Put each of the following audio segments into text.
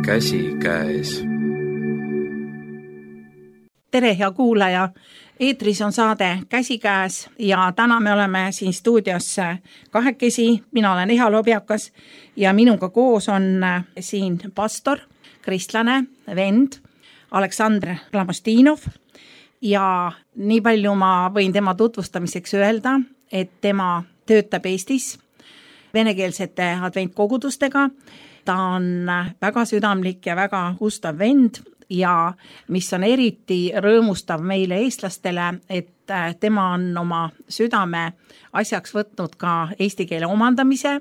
Käsikäes. Tere, hea kuulaja! Eetris on saade Käsikäes ja täna me oleme siin stuudios kahekesi. Mina olen Eha Lobjakas ja minuga koos on siin pastor, kristlane, vend Aleksandr Klamostinov. Ja nii palju ma võin tema tutvustamiseks öelda, et tema töötab Eestis venekeelsete adventkogudustega. Ta on väga südamlik ja väga ustav vend ja mis on eriti rõõmustav meile eestlastele, et tema on oma südame asjaks võtnud ka eesti keele omandamise.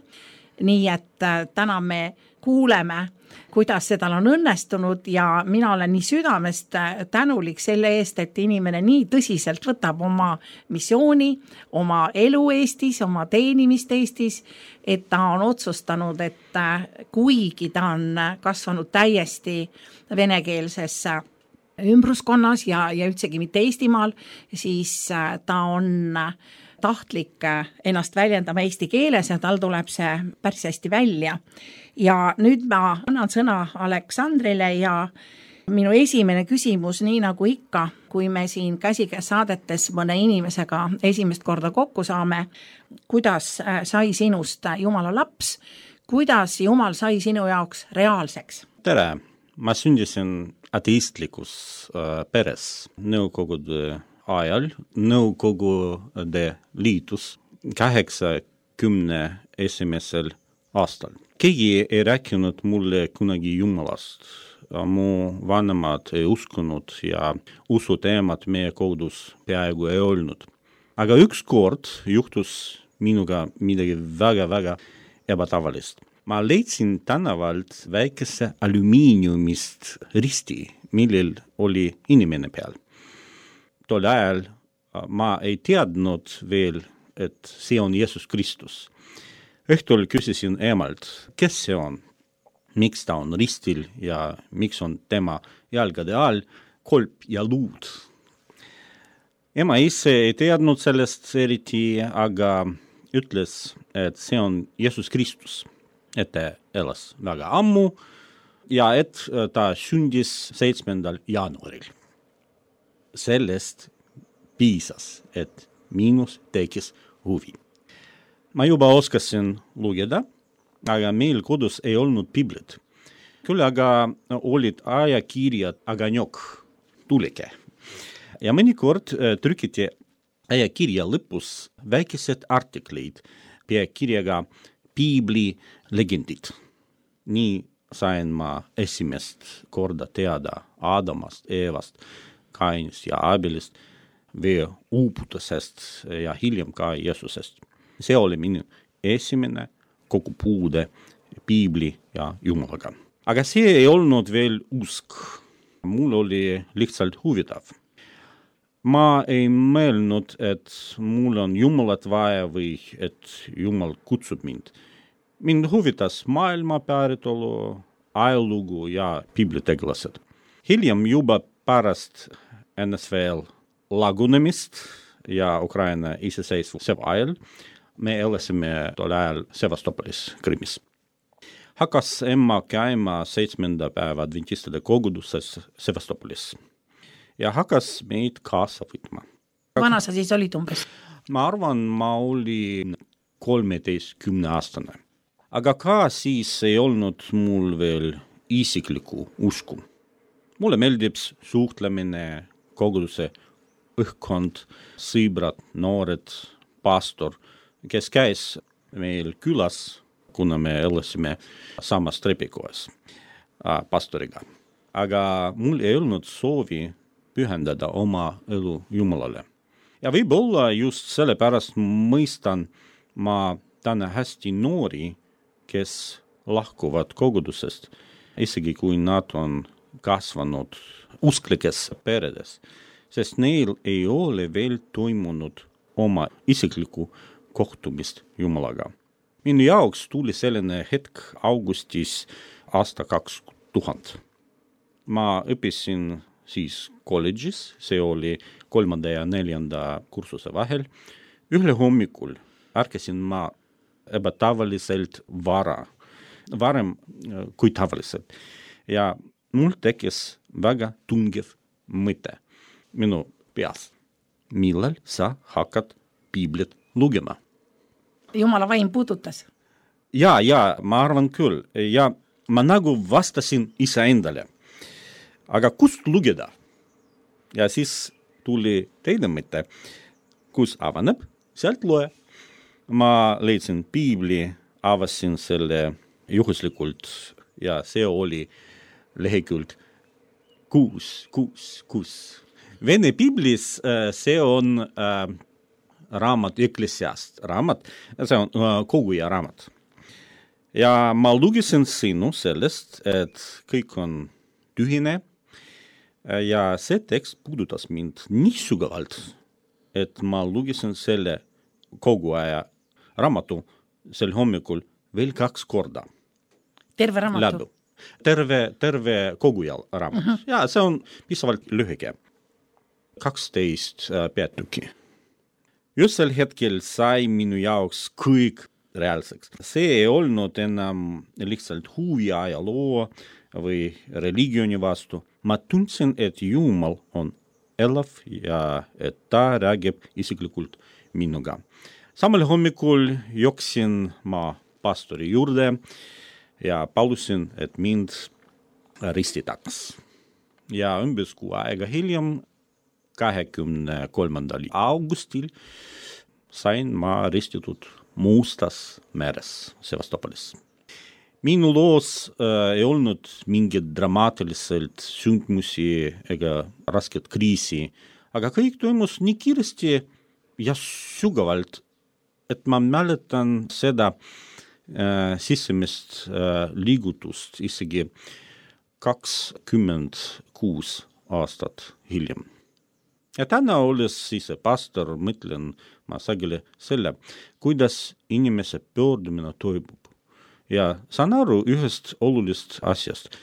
Nii et täna me kuuleme, kuidas see tal on õnnestunud ja mina olen nii südamest tänulik selle eest, et inimene nii tõsiselt võtab oma missiooni, oma elu Eestis, oma teenimist Eestis, et ta on otsustanud, et kuigi ta on kasvanud täiesti venekeelses ümbruskonnas ja üldsegi mitte Eestimaal, siis ta on tahtlik ennast väljendama eesti keeles ja tal tuleb see päris hästi välja. Ja nüüd ma annan sõna Aleksandrile ja minu esimene küsimus, nii nagu ikka, kui me siin Käsikäes saadetes mõne inimesega esimest korda kokku saame, kuidas sai sinust Jumala laps, kuidas Jumal sai sinu jaoks reaalseks? Tere! Ma sündisin ateistlikus peres Nõukogude ajal. Nõukogude liitus 81. aastal. Keegi ei rääkinud mulle kunagi Jumalast. Mu vanemad ei uskunud ja usuteemad meie kodus peaaegu ei olnud. Aga ükskord juhtus minuga midagi väga ebatavalist. Ma leidsin tänavalt väikese alumiiniumist risti, millel oli inimene peal. Tol ajal ma ei teadnud veel, et see on Jeesus Kristus. Õhtul küsisin emalt, kes see on, miks ta on ristil ja miks on tema jalgade all kolp ja luud. Ema ise ei teadnud sellest eriti, aga ütles, et see on Jeesus Kristus, et ta elas väga ammu ja et ta sündis 7. jaanuaril. Sellest piisas, et minus tekkis huvi. Ma juba oskasin lugeda, aga meil kodus ei olnud Biblit. Küll aga olid ajakirjad Aganjok, tuleke. Ja mõnikord trükiti ajakirja lõpus väikesed artikleid peakirjaga Piibli legendid. Nii sain ma esimest korda teada Adamast, Eevast, Kainist ja Abelist, vee uuputusest ja hiljem ka Jeesusest. See oli minu esimene kokkupuude Piibli ja Jumalaga. Aga see ei olnud veel usk. Mul oli lihtsalt huvitav. Ma ei mõelnud, et mul on Jumalat vaja või et Jumal kutsub mind. Mind huvitas maailma päritolu, ajalugu ja piiblitegelased. Hiljem juba pärast NSV lagunemist ja Ukraina iseseisvuse ajal me elasime tol ajal Sevastopolis, Krimmis. Hakkas emma käima 7. päeva adventistide koguduses Sevastopolis ja hakkas meid kaasa võtma. Vana sa siis olid umbes? Ma arvan, ma olin 13-aastane. Aga ka siis ei olnud mul veel isiklikku usku. Mulle meeldib suhtlemine, koguduse õhkkond, sõbrad, noored, pastor, kes käis meil külas, kuna me elasime samas trepikojas pastoriga. Aga mul ei olnud soovi pühendada oma elu Jumalale. Ja võib-olla just sellepärast mõistan ma täna hästi noori, kes lahkuvad kogudusest, isegi kui nad on kasvanud usklikes peredes, sest neil ei ole veel toimunud oma isiklikku kohtumist Jumalaga. Minu jaoks tuli selline hetk augustis aasta 2000. Ma õppisin siis kolledžis, see oli 3. ja 4. kursuse vahel. Ühel hommikul ärkasin ma ebatavaliselt varem kui tavaliselt. ja mul tekkis väga tungiv mõte minu peas. Millal sa hakkad piiblit lugema? Jumala vaim puudutas. Ja, ma arvan küll. Ja ma nagu vastasin iseendale. Aga kust lugeda? Ja siis tuli teine mõte, kus avaneb, sealt loe. Ma leidsin piibli, avasin selle juhuslikult ja see oli lehekülg 6. Vene piiblis see on raamat Eklesiast raamat, see on koguja raamat. Ja ma lugesin sinu sellest, et kõik on tühine ja see tekst puudutas mind nii sügavalt, et ma lugesin selle kogu aja raamatu sel hommikul veel 2 korda. Terve raamatu? Terve koguja raamat. Ja see on piisavalt lühike. 12 peatükki. Just sel hetkel sai minu jaoks kõik reaalseks. See ei olnud enam lihtsalt huvi ajaloo või religiooni vastu. Ma tundsin, et Jumal on elav ja et ta räägib isiklikult minuga. Samal hommikul jooksin ma pastori juurde ja palusin, et mind ristitaks. Ja umbes kuu aega hiljem, 23. augustil sain ma ristitud Mustas meres Sevastopolis. Minu loos ei olnud mingit dramaatiliselt sündmusi ega rasket kriisi, aga kõik toimus nii kiiresti ja sügavalt, et ma mäletan seda sisemist liigutust isegi 26 aastat hiljem. Ja täna olles siis pastor, mõtlen ma sageli selle, kuidas inimese pöördumine toimub. Ja saan aru ühest olulist asjast.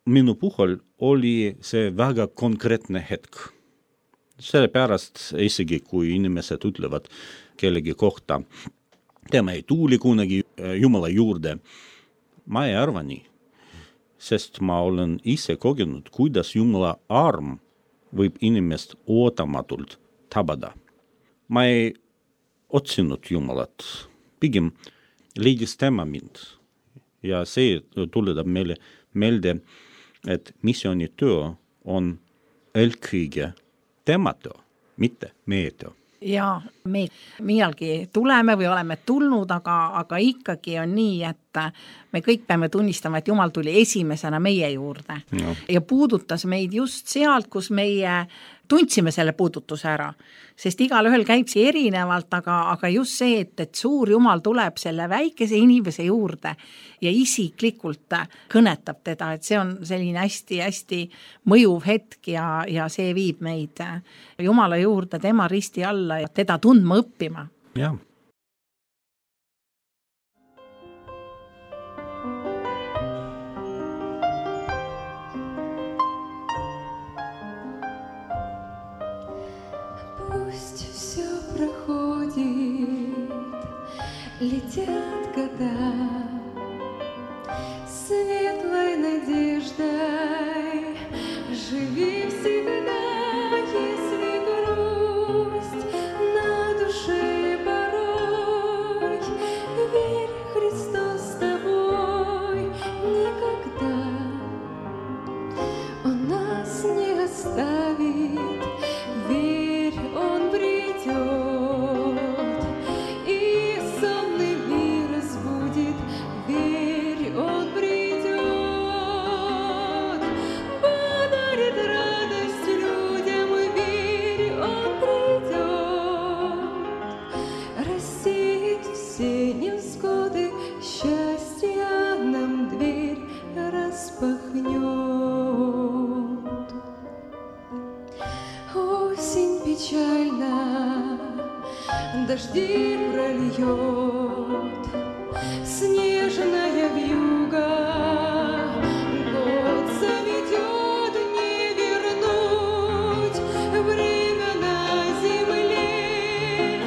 Minu puhul oli see väga konkreetne hetk. Sellepärast isegi, kui inimesed ütlevad kellegi kohta, tema ei tuli kunagi Jumala juurde, ma ei arva nii. Sest ma olen ise kogenud, kuidas Jumala arm võib inimest ootamatult tabada. Ma ei otsinud Jumalat, pigem leidis tema mind. Ja see tuletab meile meelde, et missioonitöö on eelkõige tema töö, mitte meie töö. Ja me millalgi tuleme või oleme tulnud, aga ikkagi on nii, et me kõik peame tunnistama, et Jumal tuli esimesena meie juurde ja puudutas meid just sealt, kus meie tundsime selle puudutuse ära. Sest igalühel käib see erinevalt, aga just see, et suur Jumal tuleb selle väikese inimese juurde ja isiklikult kõnetab teda, et see on selline hästi-hästi mõjuv hetk ja see viib meid Jumala juurde, tema risti alla ja teda tundma õppima. Jah. Летят года светлой надеждой, живи всегда, если грусть на душе порой, верь, Христос с тобой никогда, Он нас не оставит, верь, Он придет. Дожди прольет, снежная вьюга, год заведет, не вернуть время на земле,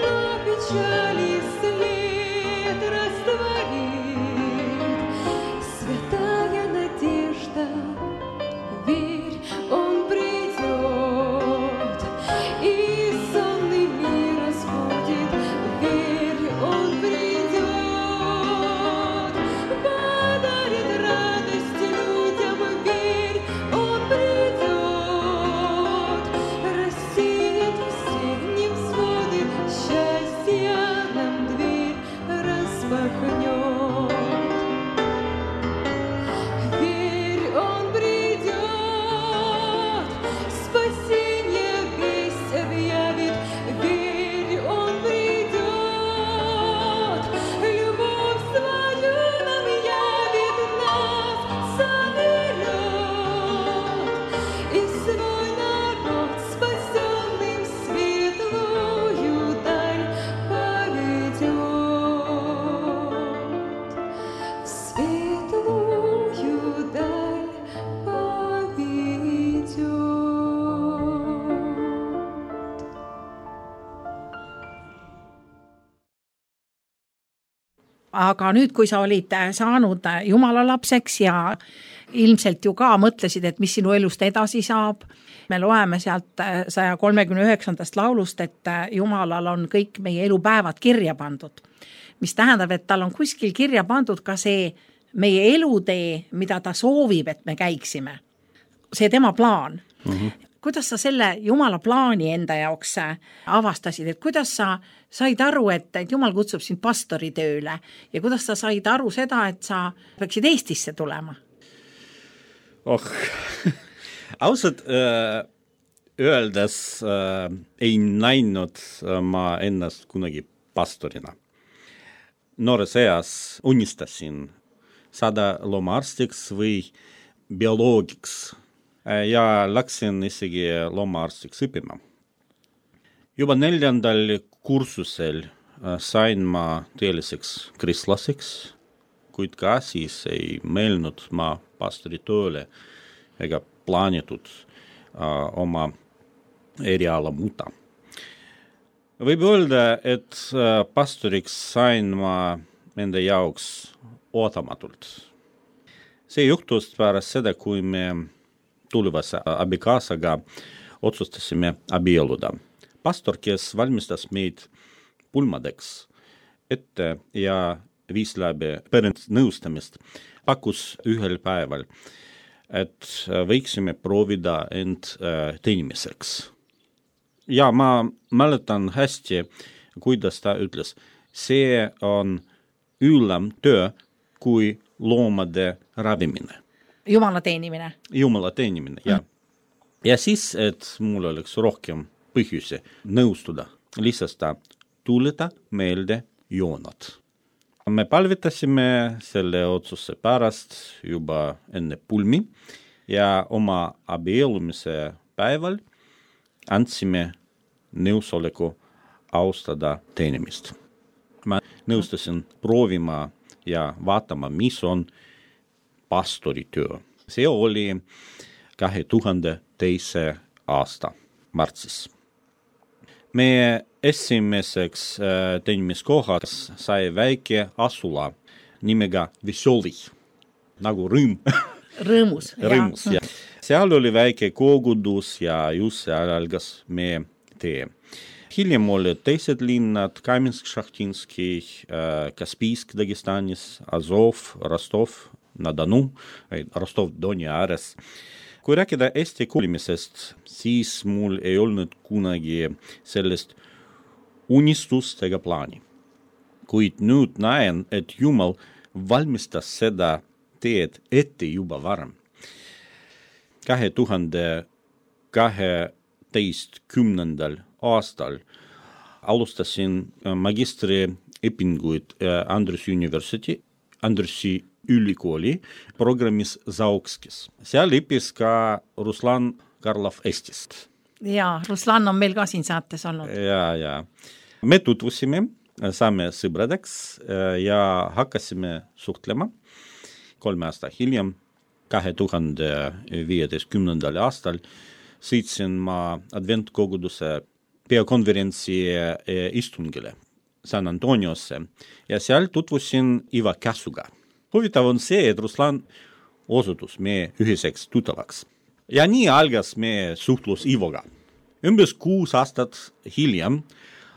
но печали след растворит святая aga nüüd, kui sa olid saanud Jumala lapseks ja ilmselt ju ka mõtlesid, et mis sinu elust edasi saab, me loeme sealt 139. laulust, et Jumalal on kõik meie elupäevad kirja pandud, mis tähendab, et tal on kuskil kirja pandud ka see meie elutee, mida ta soovib, et me käiksime. See tema plaan. Kuidas sa selle Jumala plaani enda jaoks avastasid, et kuidas sa said aru, et Jumal kutsub sind pastori tööle ja kuidas sa said aru seda, et sa peaksid Eestisse tulema? Ausalt öeldes ei näinud ma ennast kunagi pastorina. Noores eas unistasin saada loomaarstiks või bioloogiks ja läksin isegi loomaarstiks õppima. Juba 4. kursusel sain ma tõeliseks kristlaseks, kuid ka siis ei mõelnud ma pastori tööle ega plaanitud oma eriala muuta. Võib öelda, et pastoriks sain ma enda jaoks ootamatult. See juhtus pärast seda, kui me tulevase abikaasaga otsustasime abielluda. Pastor, kes valmistas meid pulmadeks ette ja viis läbi perenõustamist, pakkus ühel päeval, et võiksime proovida end teenimiseks. Ja ma mäletan hästi, kuidas ta ütles, see on üllam töö kui loomade ravimine. Jumala teenimine. Jumala teenimine, jah. Ja siis, et mul oleks rohkem põhjusi nõustuda, lihtsalt ta tuleta meelde joonad. Me palvetasime selle otsuse pärast juba enne pulmi ja oma abiellumise päeval andsime nõusoleku austada teenimist. Ma nõustasin proovima ja vaatama, mis on pastori töö. See oli 2002. aasta märtsis. Meie esimeseks teenimiskohas sai väike asula nimega Vesoli, nagu rõõm. Rõõmus. Rõõmus, jah. Seal oli väike kogudus ja just seal algas meie tee. Hiljem olid teised linnad, Kaminsk-Šahtinski, Kaspijsk Dagestanis, Azov, Rostov, Nadanu, Rostov-Doni ääres. Kui rääkida Eesti kuulimisest, siis mul ei olnud kunagi sellest unistust ega plaani. Kuid nüüd näen, et Jumal valmistas seda teed ette juba varem. 2012. aastal alustasin magistriõpinguid Andrusi ülikooli programmis Zaokskis. Seal õppis ka Ruslan Karlov Eestist. Jaa, Ruslan on meil ka siin saates olnud. Ja. Me tutvusime, saame sõbradeks ja hakkasime suhtlema 3 aasta hiljem, 2015. aastal sõitsin ma adventkoguduse peakonverentsi istungile San Antoniosse ja seal tutvusin Iva Käsuga. Huvitav on see, et Ruslan osutus meie ühiseks tuttavaks. Ja nii algas meie suhtlus Ivoga. Umbes 6 aastat hiljem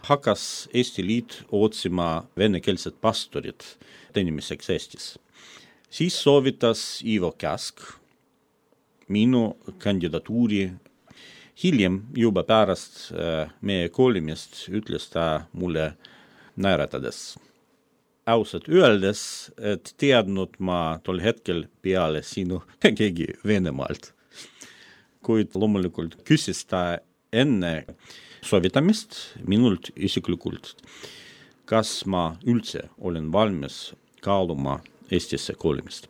hakkas Eesti Liit otsima venekeelset pastorit teenimiseks Eestis. Siis soovitas Ivo Käsk minu kandidatuuri. Hiljem juba pärast meie koolimist ütles ta mulle naeratades. Ausalt öeldes, et teadnud ma tol hetkel peale sinu keegi Venemaalt. Kuid loomulikult küsis ta enne soovitamist minult isiklikult, kas ma üldse olen valmis kaaluma Eestisse koolimist.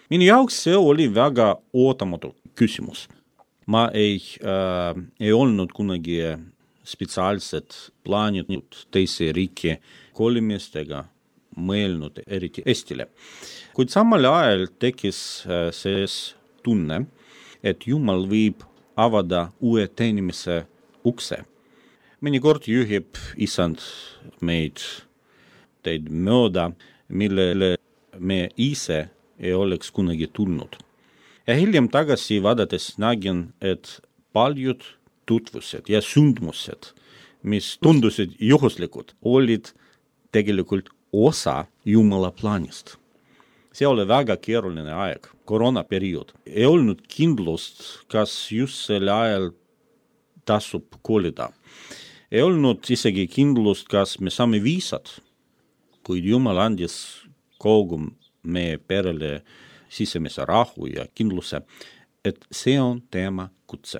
Minu jaoks see oli väga ootamatu küsimus. Ma ei olnud kunagi spetsiaalset plaaninud teise riiki koolimist ega mõelnud eriti Eestile. Kuid samal ajal tekkis see tunne, et Jumal võib avada uue teenimise ukse. Mõnikord juhib isand meid teid mööda millele me ise ei oleks kunagi tulnud. Ja hiljem tagasi vaadates nägin, et paljud tutvused ja sündmused, mis tundusid juhuslikud, olid tegelikult osa Jumala plaanist. See oli väga keeruline aeg, koroonaperiood. Ei olnud kindlust, kas just selle ajal tasub kolida. Ei olnud isegi kindlust, kas me saame viisad, kuid Jumal andis kogu meie perele sisemise rahu ja kindluse, et see on tema kutse.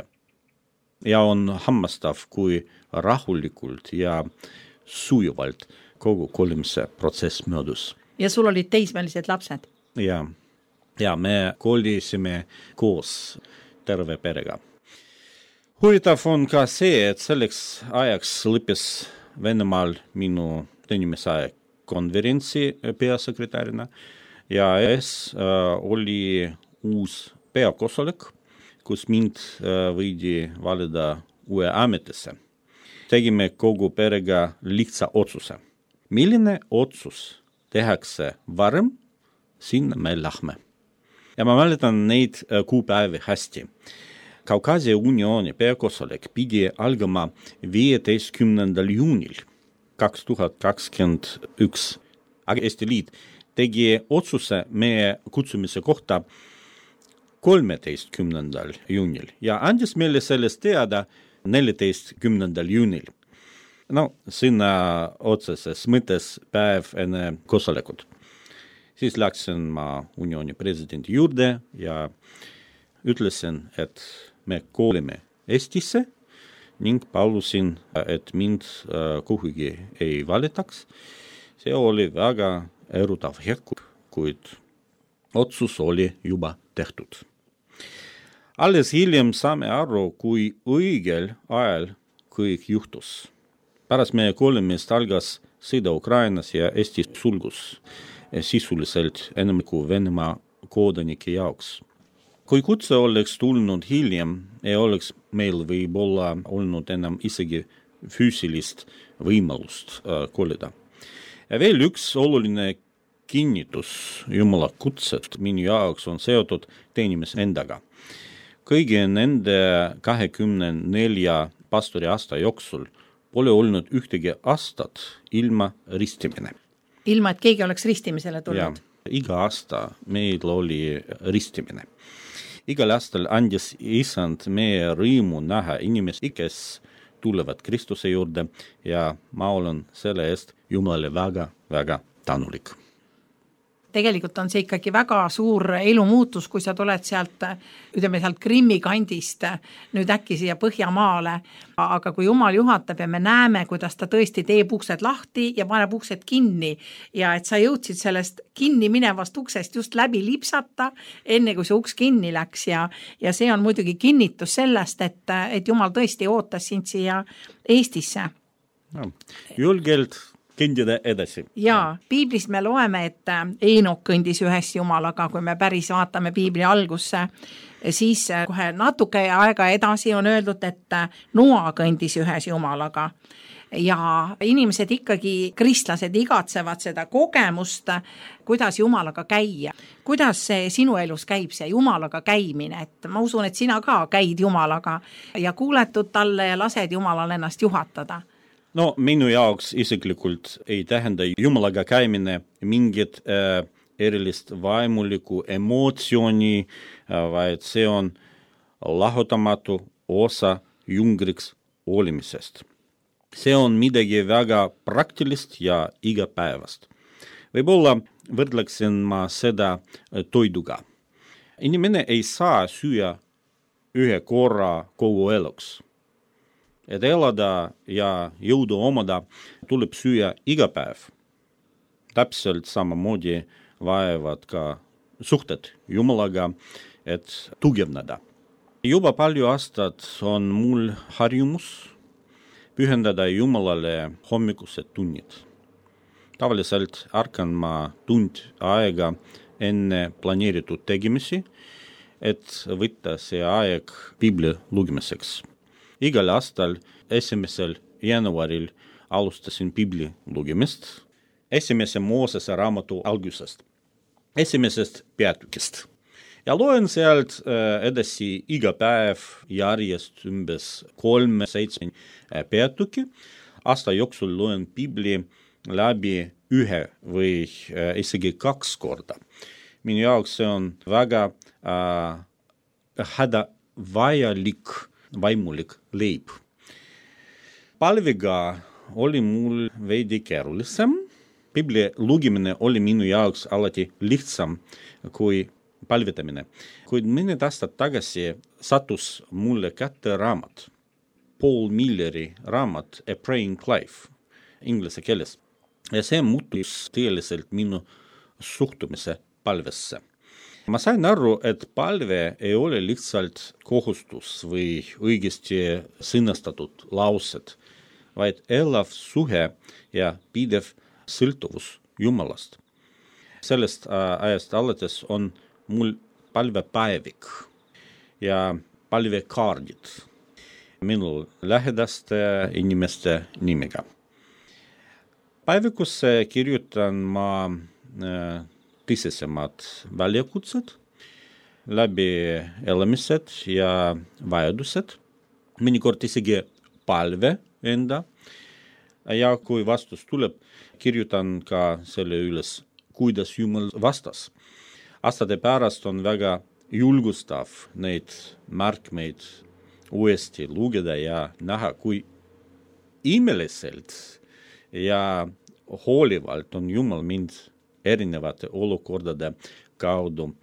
Ja on hammastav, kui rahulikult ja sujuvalt kogu kolimise protsess möödus. Ja sul olid teismelised lapsed? Ja me kolisime koos terve perega. Huvitav on ka see, et selleks ajaks lõppes Venemaal minu teenimise konverentsi peasekretärina ja oli uus peakoosolek, kus mind võidi valida uue ametisse. Tegime kogu perega lihtsa otsuse. Milline otsus tehakse varem, sinna me lähme. Ja ma mäletan neid kuupäevi hästi. Kaukaasia uniooni peakoosolek pidi algama 15. juunil 2021. Aga Eesti Liit tegi otsuse meie kutsumise kohta 13. juunil ja andis meile sellest teada 14. juunil. Sinna otseses mõttes päev enne koosolekut. Siis läksin ma uniooni presidendi juurde ja ütlesin, et me koolime Eestisse ning palusin, et mind kuhugi ei valitaks. See oli väga erutav hetk, kuid otsus oli juba tehtud. Alles hiljem saame aru, kui õigel ajal kõik juhtus. Pärast meie kolimist algas sõda Ukrainas ja Eesti sulgus sisuliselt enamiku Venemaa kodanike jaoks. Kui kutse oleks tulnud hiljem, ei oleks meil võib-olla olnud enam isegi füüsilist võimalust kolida. Ja veel üks oluline kinnitus Jumala kutset minu jaoks on seotud teenimise endaga. Kõigi nende 24 pastori aasta jooksul pole olnud ühtegi aastat ilma ristimine. Ilma, et keegi oleks ristimisele tulnud? Ja, iga aasta meil oli ristimine. Igal aastal andis Isand meie rõimu näha inimesi, kes tulevad Kristuse juurde ja ma olen selle eest Jumalale väga, väga tänulik. Tegelikult on see ikkagi väga suur elumuutus, kui sa tuled sealt Krimmi kandist nüüd äkki siia Põhjamaale, aga kui Jumal juhatab ja me näeme, kuidas ta tõesti teeb uksed lahti ja paneb uksed kinni ja et sa jõudsid sellest kinni minevast uksest just läbi lipsata, enne kui see uks kinni läks ja see on muidugi kinnitus sellest, et Jumal tõesti ootas sind siia Eestisse. Julgelt kõndida edasi. Ja, piiblist me loeme, et Eenok kõndis ühes Jumalaga, kui me päris vaatame piibli algusse, siis kohe natuke aega edasi on öeldud, et Noa kõndis ühes Jumalaga. Ja inimesed ikkagi, kristlased igatsevad seda kogemust, kuidas Jumalaga käia. Kuidas see sinu elus käib, see Jumalaga käimine? Et ma usun, et sina ka käid Jumalaga ja kuuletud talle ja lased Jumalal ennast juhatada. Minu jaoks isiklikult ei tähenda Jumalaga käimine mingit erilist vaimulikku emotsiooni, vaid see on lahutamatu osa jungriks olimisest. See on midagi väga praktilist ja igapäevast. Võib-olla võrdleksin ma seda toiduga. Inimene ei saa süüa ühe korra kogu eluks. Et elada ja jõudu omada tuleb süüa iga päev. Täpselt samamoodi vajavad ka suhted Jumalaga, et tugevnada. Juba palju aastat on mul harjumus pühendada Jumalale hommikused tunnid. Tavaliselt ärkan ma tund aega enne planeeritud tegemisi, et võtta see aeg piibli lugemiseks. Igal aastal 1. jaanuaril alustasin piibli lugemist esimese Moosese raamatu algusest, esimesest peatükist. Ja loen sealt edasi iga päev järjest umbes 3-7 peatüki. Aasta jooksul loen Piibli läbi 1 või isegi 2 korda. Minu jaoks see on väga hädavajalik vaimulik leib. Palvega oli mul veidi keerulisem. Piibli lugimine oli minu jaoks alati lihtsam kui palvetamine. Kuid mõned aastad tagasi sattus mulle kätte raamat, Paul Milleri raamat A Praying Life inglise keeles. Ja see muutus tõeliselt minu suhtumise palvesse. Ma sain aru, et palve ei ole lihtsalt kohustus või õigesti sõnastatud laused, vaid elav suhe ja pidev sõltuvus Jumalast. Sellest ajast alates on mul palvepäevik ja palvekaardid minu lähedaste inimeste nimega. Päevikusse kirjutan ma tõsisemad väljakutsed, läbi elamised ja vajadused, mõnikord isegi palve enda. Ja kui vastus tuleb, kirjutan ka selle üles, kuidas Jumal vastas. Aastate pärast on väga julgustav neid märkmeid uuesti lugeda ja näha, kui imeliselt ja hoolivalt on Jumal mind erinevate olukordade kaudu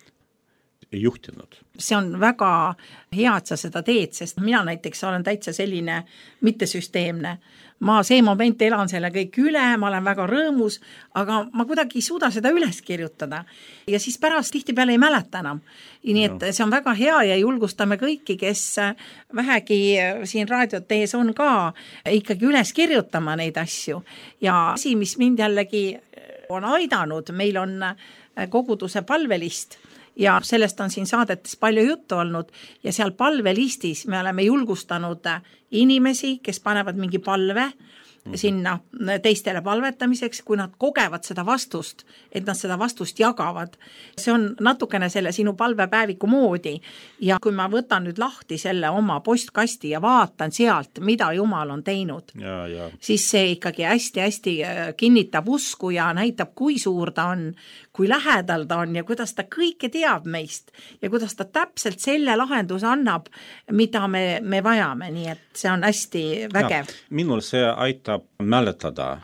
juhtinud. See on väga hea, et sa seda teed, sest mina näiteks olen täitsa selline mittesüsteemne. Ma see moment elan selle kõik üle, ma olen väga rõõmus, aga ma kuidagi ei suuda seda üles kirjutada. Ja siis pärast tihtipeale ei mäleta enam. Nii et see on väga hea ja julgustame kõiki, kes vähegi siin raadiot tees on ka ikkagi üles kirjutama neid asju. Ja asi, mis mind jällegi on aidanud, meil on koguduse palvelist, ja sellest on siin saadetes palju juttu olnud ja seal palvelistis me oleme julgustanud inimesi, kes panevad mingi palve sinna teistele palvetamiseks, kui nad kogevad seda vastust, et nad seda vastust jagavad. See on natukene selle sinu palvepäeviku moodi ja kui ma võtan nüüd lahti selle oma postkasti ja vaatan sealt, mida Jumal on teinud, siis see ikkagi hästi-hästi kinnitab usku ja näitab, kui suur ta on, kui lähedal ta on ja kuidas ta kõike teab meist ja kuidas ta täpselt selle lahenduse annab, mida me vajame, nii et see on hästi vägev. Minul see aitab mäletada,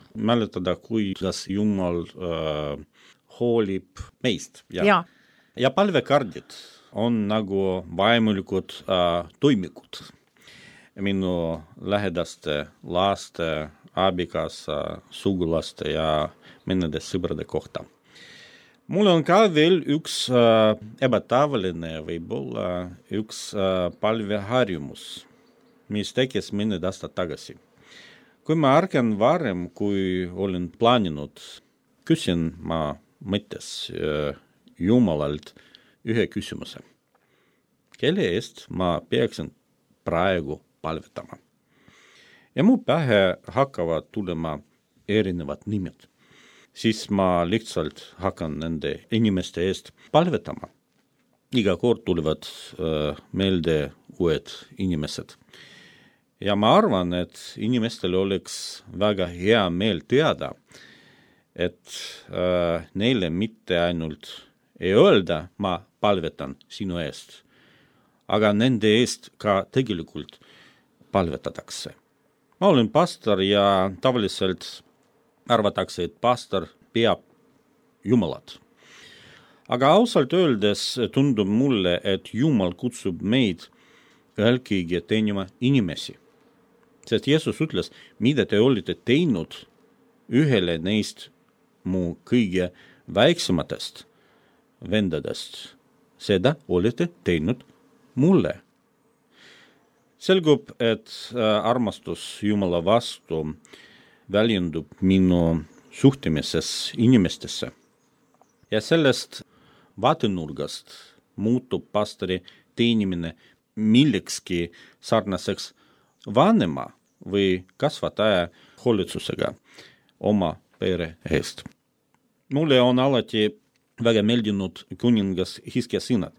kuidas Jumal hoolib meist. Ja palvekardid on nagu vaimulikud toimikud minu lähedaste laste, abikaasa, sugulaste ja mõnede sõbrade kohta. Mul on ka veel üks ebatavaline võib-olla üks palveharjumus, mis tekkis mõned aastad tagasi. Kui ma ärkan varem, kui olen plaaninud, küsin ma mõttes Jumalalt ühe küsimuse. Kelle eest ma peaksin praegu palvetama? Ja mu pähe hakkavad tulema erinevad nimed. Siis ma lihtsalt hakkan nende inimeste eest palvetama. Iga kord tulevad meelde uued inimesed. Ja ma arvan, et inimestel oleks väga hea meel teada, et neile mitte ainult ei öelda, ma palvetan sinu eest, aga nende eest ka tegelikult palvetatakse. Ma olen pastor ja tavaliselt arvatakse, et pastor peab Jumalat. Aga ausalt öeldes tundub mulle, et Jumal kutsub meid eelkõige teenima inimesi. Sest Jeesus ütles, mida te olete teinud ühele neist mu kõige väiksematest vendadest. Seda olete teinud mulle. Selgub, et armastus Jumala vastu väljendub minu suhtimises inimestesse. Ja sellest vaatenurgast muutub pastori teenimine millekski sarnaseks vanema või kasvataja hoolitsusega oma pere eest. Mulle on alati väga meeldinud kuningas Hiskia sõnad.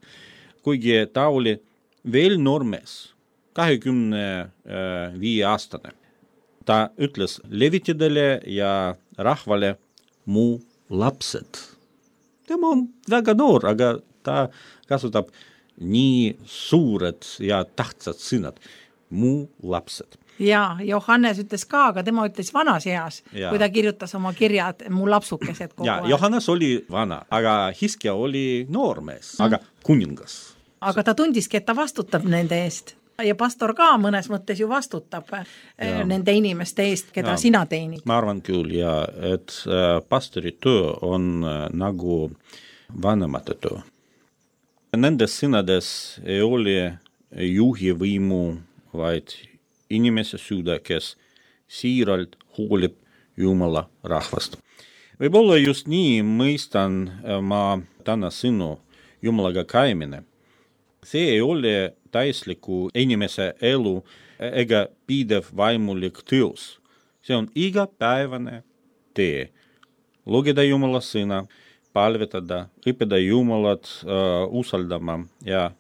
Kuigi ta oli veel noormees, 25-aastane. Ta ütles levitidele ja rahvale mu lapsed. Tema on väga noor, aga ta kasutab nii suured ja tähtsad sõnad. Mu lapsed. Ja Johannes ütles ka, aga tema ütles vanas eas, kui ta kirjutas oma kirjad mu lapsukesed kogu aeg. Johannes oli vana, aga Hiskia oli noormees, aga kuningas. Aga ta tundiski, et ta vastutab nende eest. Ja pastor ka mõnes mõttes ju vastutab nende inimeste eest, keda sina teenid. Ma arvan küll, et pastori töö on nagu vanemate töö. Nendes sõnades ei ole juhi võimu, vaid inimese süda, kes siiralt hoolib Jumala rahvast. Võib-olla just nii mõistan ma täna sõnu Jumalaga käimine. See ei ole täisliku inimese elu ega pidev vaimulik teos. See on igapäevane tee. Lugeda Jumala sõna, palvetada, õppida Jumalat usaldama ja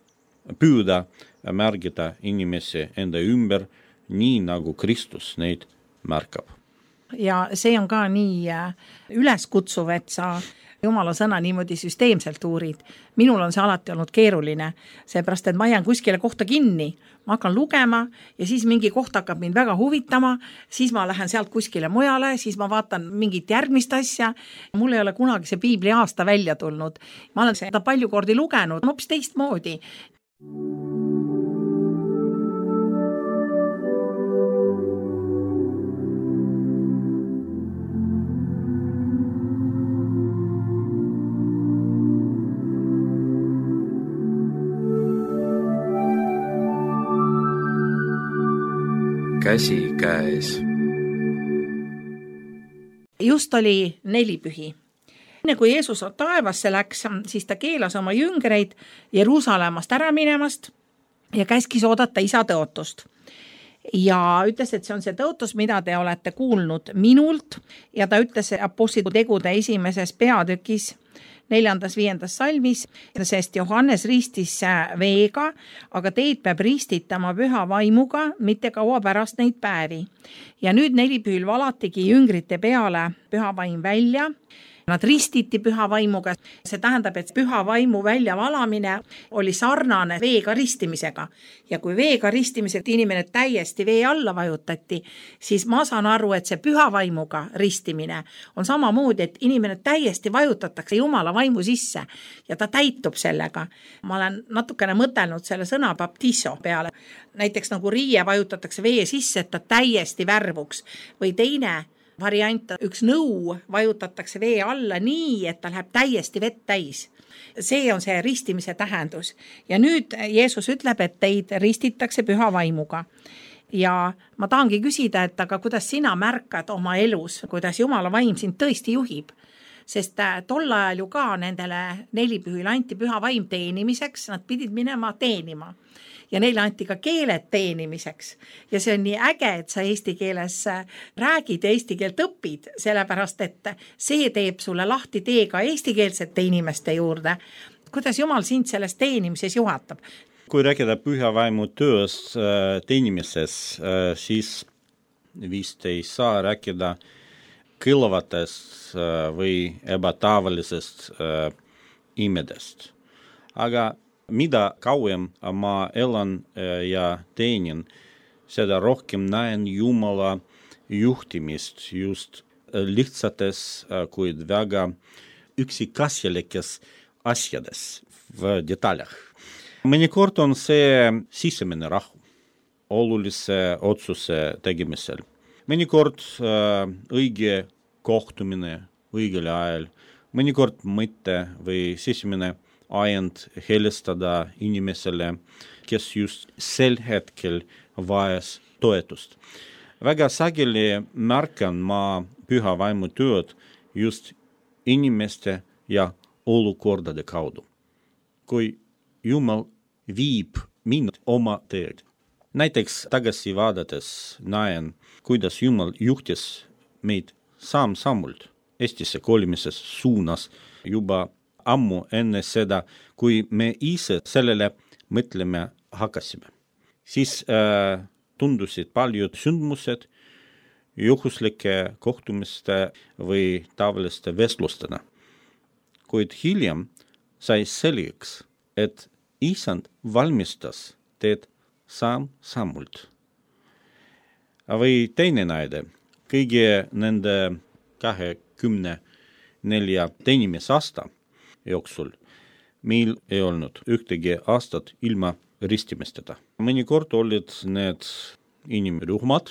püüda märgida inimesi enda ümber, nii nagu Kristus neid märkab. Ja see on ka nii üleskutsuv, et sa Jumala sõna niimoodi süsteemselt uurid. Minul on see alati olnud keeruline, seepärast, et ma jään kuskile kohta kinni. Ma hakkan lugema ja siis mingi koht hakkab mind väga huvitama, siis ma lähen sealt kuskile mujale, siis ma vaatan mingit järgmist asja. Mul ei ole kunagi see piibli aasta välja tulnud. Ma olen seda palju kordi lugenud, hoopis teistmoodi. Käsi käes. Just oli nelipühi. Enne kui Jeesus taevasse läks, siis ta keelas oma jüngreid Jeruusalemmast ära minemast ja käskis oodata isa tõotust. Ja ütles, et see on see tõotus, mida te olete kuulnud minult, ja ta ütles apostlite tegude esimeses peatükis 4.-5. salmis, sest Johannes ristis veega, aga teid peab ristitama püha vaimuga, mitte kaua pärast neid päevi. Ja nüüd nelipühil valatigi jüngrite peale püha vaim välja. Nad ristiti püha vaimuga. See tähendab, et püha vaimu väljavalamine oli sarnane veega ristimisega. Ja kui veega ristimisega inimene täiesti vee alla vajutati, siis ma saan aru, et see püha vaimuga ristimine on samamoodi, et inimene täiesti vajutatakse Jumala vaimu sisse ja ta täitub sellega. Ma olen natukene mõtelnud selle sõna baptiso peale. Näiteks nagu riie vajutatakse vee sisse, et ta täiesti värvuks või teine variant, üks nõu vajutatakse vee alla nii, et ta läheb täiesti vett täis. See on see ristimise tähendus. Ja nüüd Jeesus ütleb, et teid ristitakse püha vaimuga. Ja ma tahangi küsida, et aga kuidas sina märkad oma elus, kuidas Jumala vaim sind tõesti juhib? Sest tol ajal ju ka nendele nelipühil anti püha vaim teenimiseks, nad pidid minema teenima. Ja neile anti ka keeled teenimiseks. Ja see on nii äge, et sa eesti keeles räägid ja eesti keelt õpid, sellepärast, et see teeb sulle lahti tee ka eestikeelsete inimeste juurde. Kuidas Jumal sind selles teenimises juhatab? Kui rääkida püha vaimu töös teenimises, siis vist ei saa rääkida kõlavatest või ebatavalisest imedest. Aga mida kauem ma elan ja teenin, seda rohkem näen Jumala juhtimist just lihtsates, kuid väga üksikasjalikes asjades v detaljah. Mõnikord on see sisemine rahu olulise otsuse tegemisel. Mõnikord õige kohtumine õigel ajal, mõnikord mõte või sisemine ajend helistada inimesele, kes just sel hetkel vajas toetust. Väga sageli märkan ma püha vaimu tööd just inimeste ja olukordade kaudu. Kui Jumal viib mind oma teed. Näiteks tagasi vaadates näen, kuidas Jumal juhtis meid samm-sammult Eestisse kolimises suunas juba ammu enne seda, kui me ise sellele mõtlema hakkasime. Siis tundusid paljud sündmused juhuslike kohtumiste või tavaliste vestlustena. Kuid hiljem sai selgeks, et Isand valmistas teed samm-sammult. Või teine näide, kõigi nende 24 teenimisasta jooksul meil ei olnud ühtegi aastat ilma ristimisteta. Mõnikord olid need inimrühmad,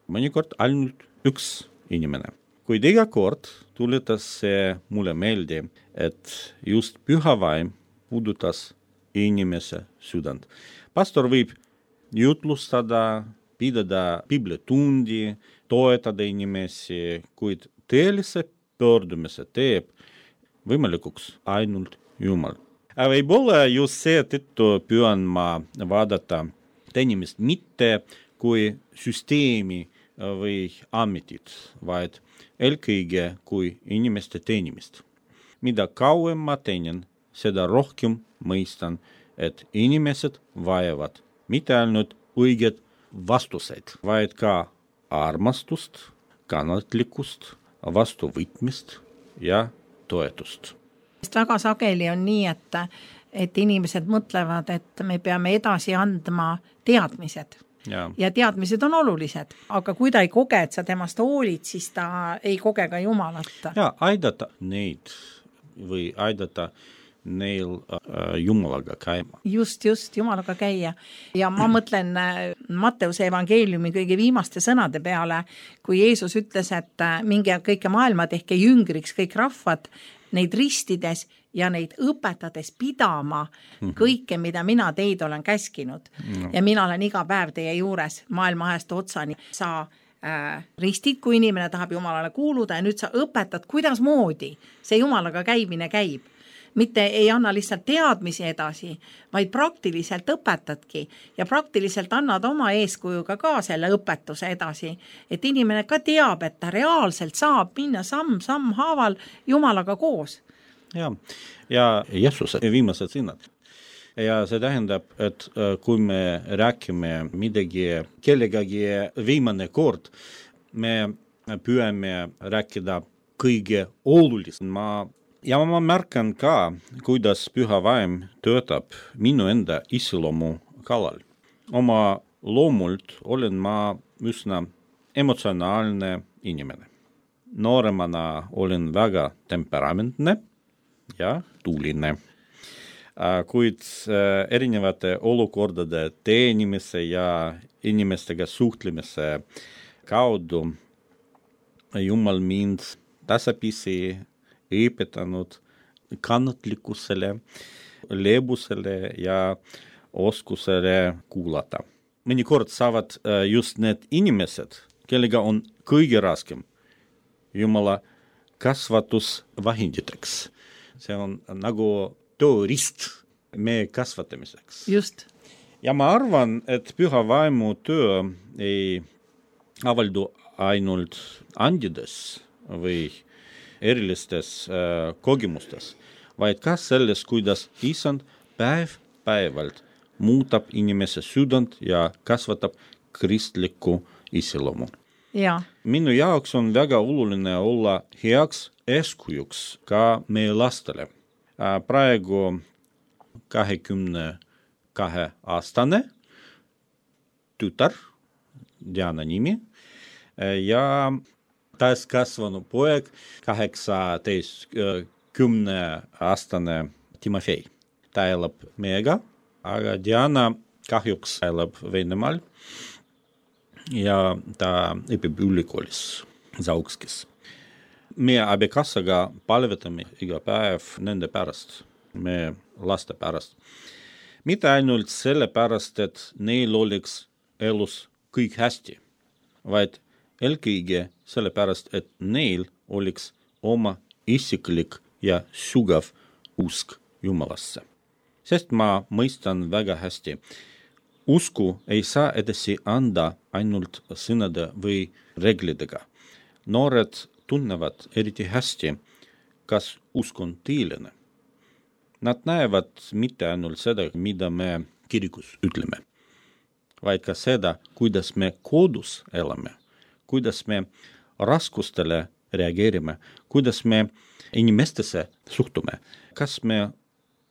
mõnikord ainult üks inimene. Kuid iga kord tuletas see mulle meelde, et just püha vaim puudutas inimese südant. Pastor võib jutlustada, pidada piiblitundi, toetada inimesi, kuid tõelise pöördumise teeb võimalikuks ainult Jumal. Võib-olla just seetõttu püüan ma vaadata teenimist mitte kui süsteemi või ametit, vaid eelkõige kui inimeste teenimist. Mida kauem ma teenin, seda rohkem mõistan, et inimesed vajavad mitte ainult õiget vastuseid, vaid ka armastust, kannatlikkust, vastuvõtmist ja toetust. Väga sageli on nii, et inimesed mõtlevad, et me peame edasi andma teadmised. Ja teadmised on olulised, aga kui ta ei koge, et sa temast hoolid, siis ta ei koge ka Jumalat. Ja aidata neid või aidata neil Jumalaga käima. Just, Jumalaga käia. Ja ma mõtlen Matteuse evangeeliumi kõige viimaste sõnade peale, kui Jeesus ütles, et minge kõike maailma tehke jüngriks kõik rahvad, neid ristides ja neid õpetades pidama kõike, mida mina teid olen käskinud. No. Ja mina olen iga päev teie juures maailma ajast otsani. Sa ristid, kui inimene tahab Jumalale kuuluda ja nüüd sa õpetad, kuidas moodi see Jumalaga käimine käib. Mitte ei anna lihtsalt teadmisi edasi, vaid praktiliselt õpetadki ja praktiliselt annad oma eeskujuga ka selle õpetuse edasi, et inimene ka teab, et ta reaalselt saab minna samm haaval Jumalaga koos. Ja Jeesuse viimased sõnad. Ja see tähendab, et kui me räägime midagi kellegagi viimane kord, me püüame rääkida kõige olulisem. Ja ma märkan ka, kuidas püha vaim töötab minu enda iseloomu kallal. Oma loomult olen ma üsna emotsionaalne inimene. Nooremana olen väga temperamentne ja tuuline. Kuid erinevate olukordade teenimise ja inimestega suhtlemise kaudu Jumal mind tasapisi õpetanud kannatlikkusele, leebusele ja oskusele kuulata. Mõnikord saavad just need inimesed, kellega on kõige raskem Jumala kasvatusvahenditeks. See on nagu tööriist meie kasvatamiseks. Just. Ja ma arvan, et püha vaimu töö ei avaldu ainult andides või erilistes kogemustes, vaid ka selles, kuidas Isand päevalt muutab inimese südant ja kasvatab kristlikku iseloomu. Ja. Minu jaoks on väga oluline olla heaks eeskujuks ka meie lastele. Praegu 22-aastane tütar, Diana nimi, ja täiskasvanu poeg 18-10-aastane Timofei. Ta elab meiega, aga Diana kahjuks elab Venemaal ja ta õpib ülikoolis Zaukskis. Me abikassaga palvetame iga päev nende pärast, me laste pärast. Mitte ainult selle pärast, et neil oleks elus kõik hästi, vaid eelkõige selle pärast, et neil oleks oma isiklik ja sügav usk Jumalasse. Sest ma mõistan väga hästi, usku ei saa edasi anda ainult sõnade või reeglidega. Noored tunnevad eriti hästi, kas usk on tõeline. Nad näevad mitte ainult seda, mida me kirikus ütleme, vaid ka seda, kuidas me kodus elame, kuidas me raskustele reageerime, kuidas me inimestesse suhtume, kas me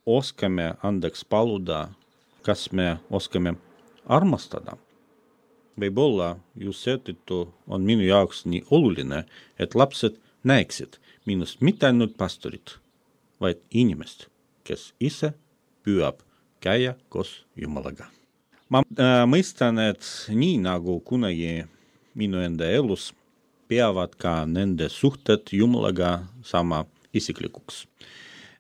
oskame andeks paluda, kas me oskame armastada. Võib-olla just seetõttu on minu jaoks nii oluline, et lapsed näeksid minust mitte ainult pastorit, vaid inimest, kes ise püüab käia koos Jumalaga. Ma mõistan, et nii nagu kunagi minu enda elus peavad ka nende suhted Jumalaga sama isiklikuks.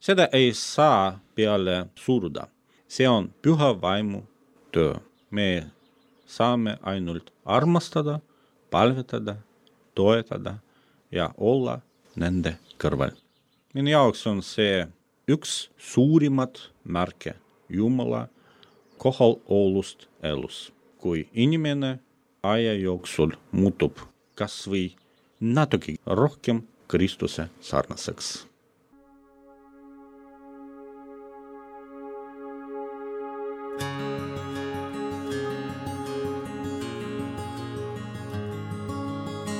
Seda ei saa peale suruda. See on püha vaimu töö. Me saame ainult armastada, palvetada, toetada ja olla nende kõrval. Minu jaoks on see üks suurimat märke Jumala kohalolust elus, kui inimene aja jooksul muutub kas või natuke rohkem Kristuse sarnaseks.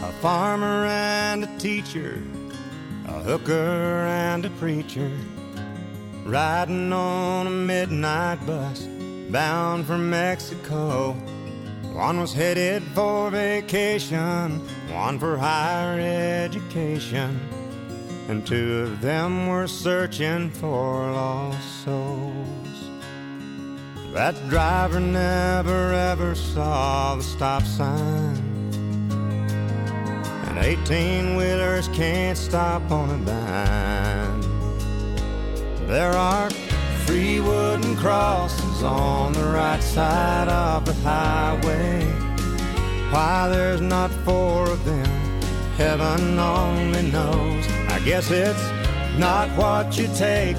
A farmer and a teacher, a hooker and a preacher, riding on a midnight bus bound for Mexico. One was headed for vacation, one for higher education, and two of them were searching for lost souls. That driver never ever saw the stop sign, and 18-wheelers can't stop on a dime. There are 3 wooden crosses on the right side of the highway. Why there's not 4 of them, heaven only knows. I guess it's not what you take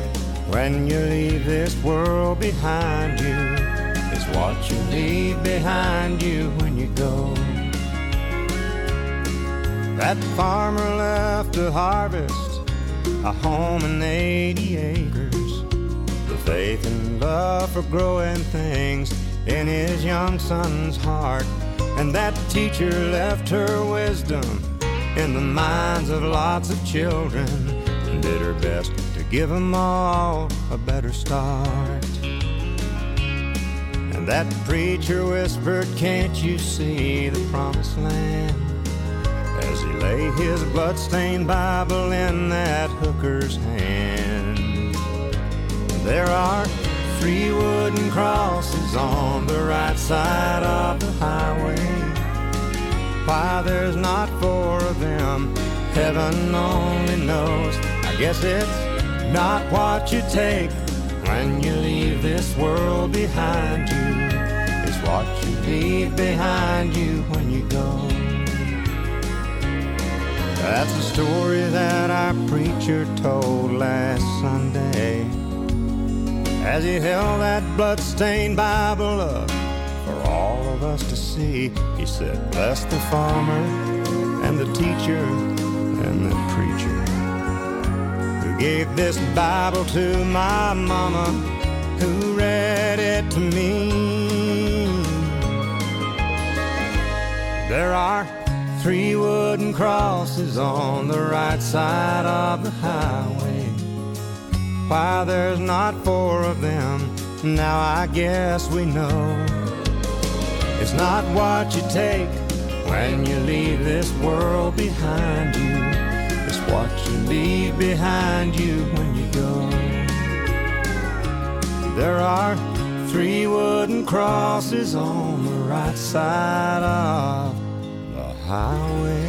when you leave this world behind you. It's what you leave behind you when you go. That farmer left to harvest a home and 80 acres. Faith and love for growing things in his young son's heart. And that teacher left her wisdom in the minds of lots of children and did her best to give them all a better start. And that preacher whispered, "Can't you see the promised land?" as he lay his blood-stained Bible in that hooker's hand. There are 3 wooden crosses on the right side of the highway. Why there's not 4 of them, heaven only knows. I guess it's not what you take when you leave this world behind you. It's what you leave behind you when you go. That's the story that our preacher told last Sunday, as he held that blood-stained Bible up for all of us to see. He said, "Bless the farmer and the teacher and the preacher who gave this Bible to my mama, who read it to me." There are 3 wooden crosses on the right side of the highway. Why there's not 4 of them, now I guess we know. It's not what you take when you leave this world behind you. It's what you leave behind you when you go. There are 3 wooden crosses on the right side of the highway.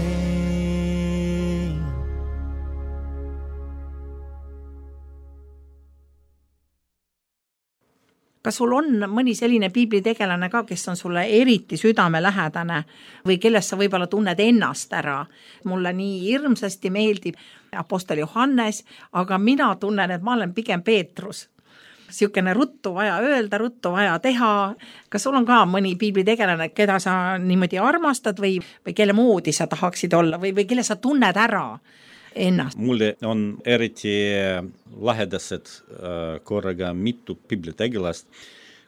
Kas sul on mõni selline piiblitegelane ka, kes on sulle eriti südamelähedane või kellest sa võib-olla tunned ennast ära? Mulle nii hirmsasti meeldib Apostel Johannes, aga mina tunnen, et ma olen pigem Peetrus. Siukene ruttu vaja öelda, ruttu vaja teha. Kas sul on ka mõni piiblitegelane, keda sa niimoodi armastad või kelle moodi sa tahaksid olla või kelle sa tunned ära ennast? Mulle on eriti lahedased korraga mitu piiblitegelast,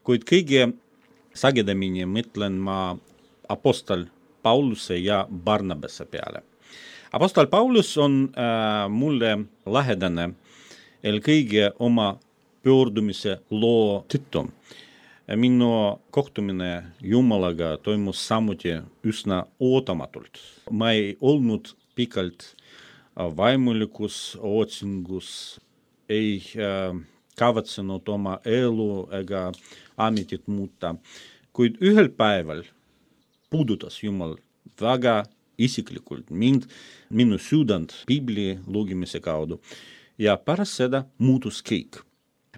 kuid kõige sagedamini mõtlen ma apostol Pauluse ja Barnabase peale. Apostol Paulus on mulle lähedane eelkõige oma pöördumise loo tõttu. Minu kohtumine Jumalaga toimus samuti üsna ootamatult. Ma ei olnud pikalt vaimulikus otsingus, ei kavatsenud oma elu ega ametit muuta, kuid ühel päeval puudutas Jumal väga isiklikult minu südant piibli lugemise kaudu ja pärast seda muutus kõik.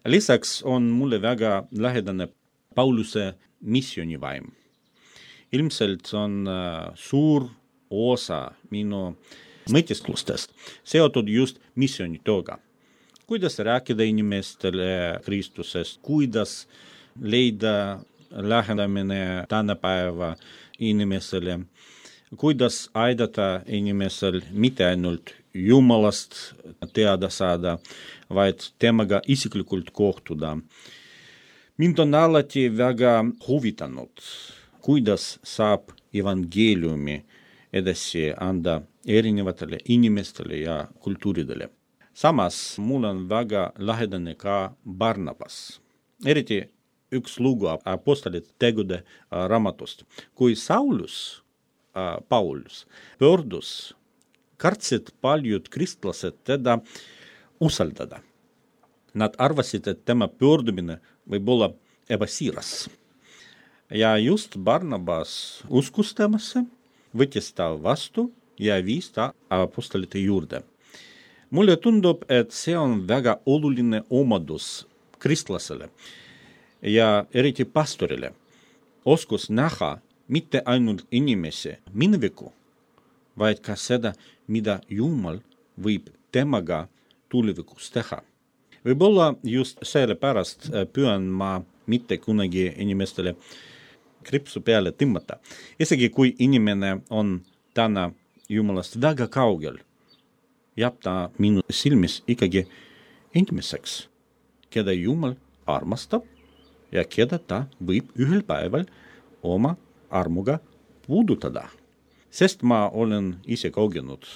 Lisaks on mulle väga lähedane Pauluse missioonivaim. Ilmselt on suur osa minu mõtisklustest seotud just missioonitööga. Kuidas rääkida inimestele Kristusest, kuidas leida lähedamine tänapäeva inimesele, kuidas aidata inimesel mitte ainult Jumalast teada saada, vaid temaga isiklikult kohtuda. Mind on alati väga huvitanud, kuidas saab evangeeliumi edasi anda erinevatele inimestele ja kultuuridele. Samas mul on väga lähedane ka Barnabas. Eriti üks lugu apostolite tegude raamatust. Kui Paulus pöördus, kartsid paljud kristlased teda usaldada. Nad arvasid, et tema pöördumine võib olla ebasiiras. Ja just Barnabas uskus temasse, võttis ta vastu ja viis ta apostolite juurde. Mulle tundub, et see on väga oluline omadus kristlasele ja eriti pastorile. Oskus näha mitte ainult inimese mineviku, vaid ka seda, mida Jumal võib temaga tulevikus teha. Võib-olla just sellepärast püüan ma mitte kunagi inimestele kripsu peale tõmmata. Isegi kui inimene on täna Jumalast väga kaugel, jääb ta minu silmis ikkagi inimeseks, keda Jumal armastab ja keda ta võib ühel päeval oma armuga puudutada. Sest ma olen ise kogenud,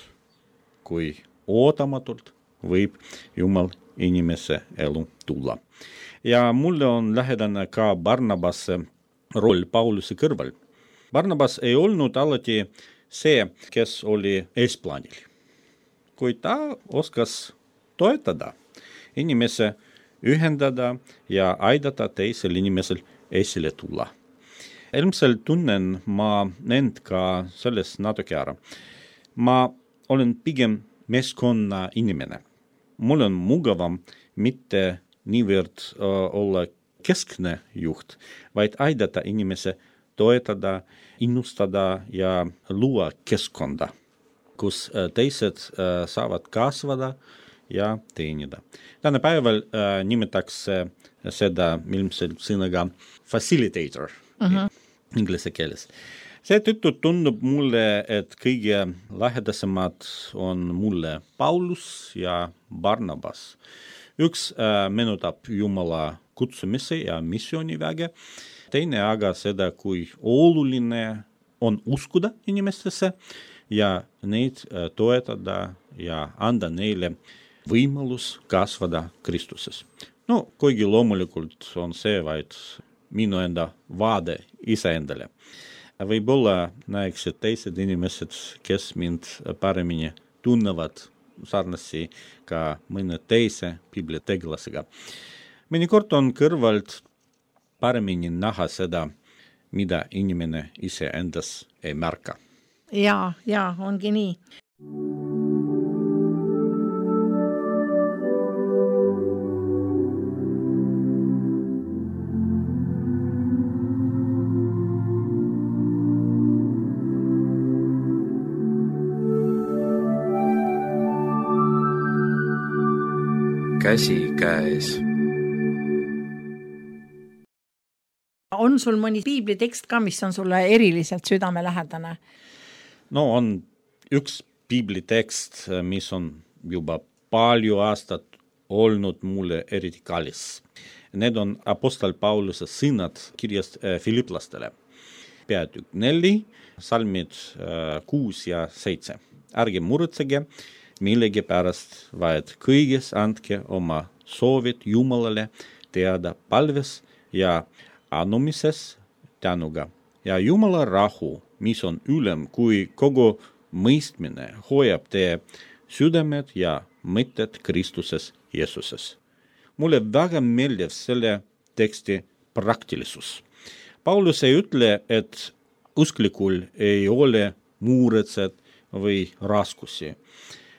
kui ootamatult võib Jumal inimese elu tulla. Ja mulle on lähedane ka Barnabase roll Pauluse kõrval. Barnabas ei olnud alati see, kes oli eesplaanil, kuid ta oskas toetada inimese, ühendada ja aidata teisel inimesel esile tulla. Ilmselt tunnen ma end ka sellest natuke ära. Ma olen pigem meeskonna inimene. Mul on mugavam mitte niivõrd olla keskne juht, vaid aidata inimese toetada, innustada ja luua keskkonda, kus teised saavad kasvada ja teenida. Tänapäeval nimetatakse seda ilmselt sõnaga facilitator inglise keeles. Seetõttu tundub mulle, et kõige lähedasemad on mulle Paulus ja Barnabas. Üks meenutab Jumala kutsumise ja missiooniväge, teine aga seda, kui oluline on uskuda inimestesse ja neid toetada ja anda neile võimalus kasvada Kristuses. No, kuigi loomulikult on see vaid minu enda vaade iseendale. Võib-olla näeksid teised inimesed, kes mind paremini tunnevad sarnasi ka mõne teise piiblitegelasega. Mõnikord on kõrvalt paremini näha seda, mida inimene ise endas ei märka. Ja, ongi nii. Käsi käes. on sul mõni piiblitekst ka, mis on sulle eriliselt südamelähedane? No on üks piiblitekst, mis on juba palju aastat olnud mulle eriti kallis. Need on apostol Pauluse sõnad kirjast Filiplastele. Peatükk 4, salmid 6 ja 7. Ärge muretsege millegi pärast, vaid kõiges andke oma soovid Jumalale teada palves ja anumises tänuga. Ja Jumala rahu, mis on ülem kui kogu mõistmine, hoiab teie südamed ja mõtted Kristuses Jeesuses. Mulle väga meeldib selle teksti praktilisus. Paulus ei ütle, et usklikul ei ole muretsed või raskusi.